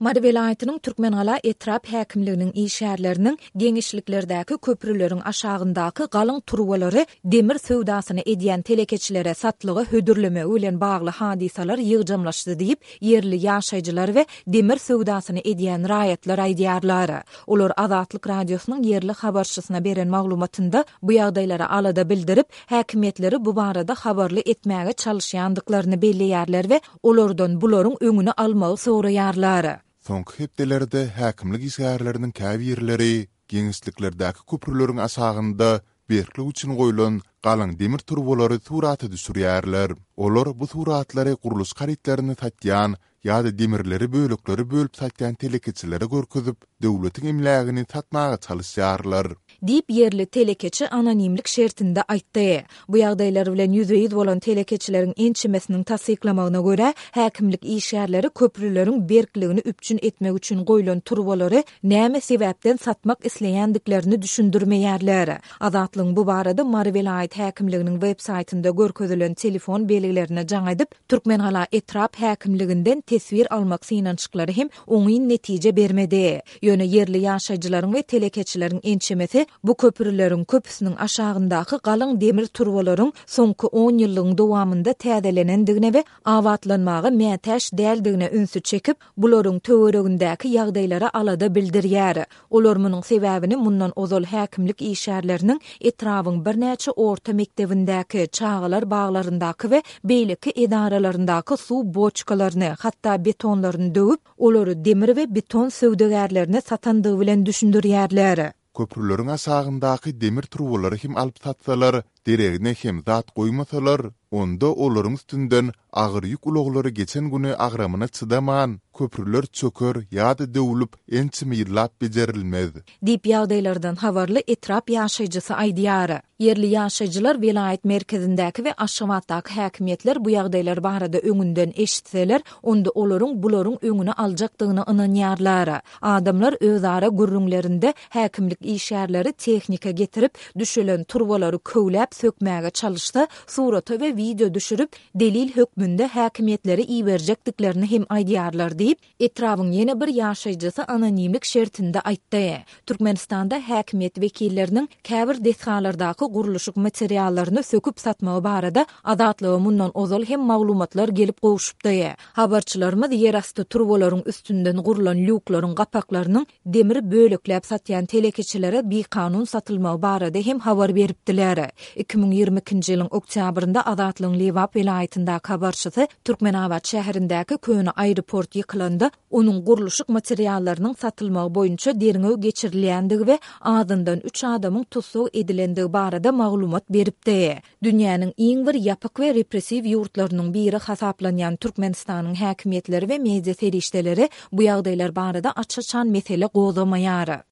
Mary welaýatynyň Türkmengala etrap häkimliginiň işgärleriniň geňeşliklerdäki köprüleriň aşagyndaky galyň turbalary demir söwdasyny edýän telekeçilere satlyga hödürlemegi bilen bagly hadysalar ýygjamlaşdy diýip, ýerli ýaşaýjylar we demir söwdasyny edýän raýatlar aýdýarlar. Olar Azatlyk Radiosynyň ýerli habarçysyna beren maglumatynda bu ýagdaýlara alada bildirip, häkimiýetleri bu barada habarly etmäge çalyşýandyklaryny belleýärler we olardan bularyň öňüni almagy soraýarlar. Soňky hepdelerde häkimlik işgärleriniň käbirleri giňişliklerdäki köprüleriň aşagynda berklik üçin goýlan galyň demir turbalary surata düşürýärler. Olar bu suratlary gurluşyk harytlaryny satýan ýa-da demirleri böleklere bölüp satýan telekeçilere görkezip, döwletiň emlägini satmaga çalyşýarlar. Diýip, ýerli telekeçi anonimlik şertinde aýtdy. Bu ýagdaýlar bilen ýüzbe-ýüz bolan telekeçileriň ençemesiniň tassyklamagyna görä, häkimlik işgärleri köprüleriň berkligini üpjün etmek üçin goýlan turbalary näme sebäpden satmak isleýändiklerini düşündirmeýärler. Azatlygyň bu barada Mary welaýat häkimliginiň web saýtynda görkezilen telefon belgilerine jaň edip, Türkmengala etrap häkimliginden teswir almak synanyşyklary hem oňyn netije bermedi. Ýöne ýerli ýaşaýjylaryň we telekeçileriň ençemesi bu köprüleriň köpüsiniň aşagyndaky galyň demir turbalaryň soňky onýyllygyň dowamynda täzelenendigine we abatlanmaga mätäç däldigine ünsi çekip, bularyň töweregindäki ýagdaýlara alada bildirýär. Olar munuň sebäbini mundan ozal häkimlik işgärleriniň etrabyň birnäçe orta mekdebindäki, çagalar baglaryndaky we beýleki edaralaryndaky suw boçkalaryny, hatda betonlaryny döwüp, olary demir we beton söwdagärlerine satandygy bilen düşündirýärler. Köprüleriň aşagyndaky demir turbalary hem alyp satsalar, deregine hem zat goýmasalar, onda olaryň üstünden agyr ýük ulaglary geçen güni agramyna çydaman, köprüler çöker ýa-da döwlüp, ençeme ýyllap bejerilmez. Diýip, ýagdaýlardan habarly etrap ýaşaýjysy aýdýar. Ýerli ýaşaýjylar welaýat merkezindäki we Aşgabatdaky häkimiýetler bu ýagdaýlar barada öňünden eşitseler, onda olaryň bularyň öňüni aljakdygyna ynanýarlar. Adamlar özara gürrüňlerinde häkimlik işgärleri tehnika getirip, düşelen turbalary köwläp sökmäge çalyşsa, surata we wideo düşürip, delil hökmünde häkimiýetlere iberjekdiklerini hem aýdýarlar diýip, etrabyň ýene bir ýaşaýjysy anonimlik şertinde aýtdy. Türkmenistanda häkimiýet wekilleriniň käbir desgalardaky gurluşyk materiallaryny söküp satmagy barada Azatlyga mundan ozal hem maglumatlar gelip gowşupdy. Habarçylarymyz ýerasty turbalaryň üstünden gurlan lýuklaryň gapaklarynyň demir bölekläp satýan telekeçilere bikanun satylmagy barada hem habar beripdiler. 2022-nji ýylyň oktýabrynda Azatlygyň Lebap welaýatyndaky habarçysy Türkmenabat şäherindäki köne aeroport ýykylanda, onuň gurluşyk materiallarynyň satylmagy boýunça derňew geçirilýändigi we azyndan üç adamyň tussag edilendigi barada maglumat beripdi. Dünýäniň iň bir ýapyk we repressiw ýurtlarynyň biri hasaplanýan Türkmenistanyň häkimiýetleri we media serişdeleri bu ýagdaýlar barada aç-açan mesele gozgamaýar.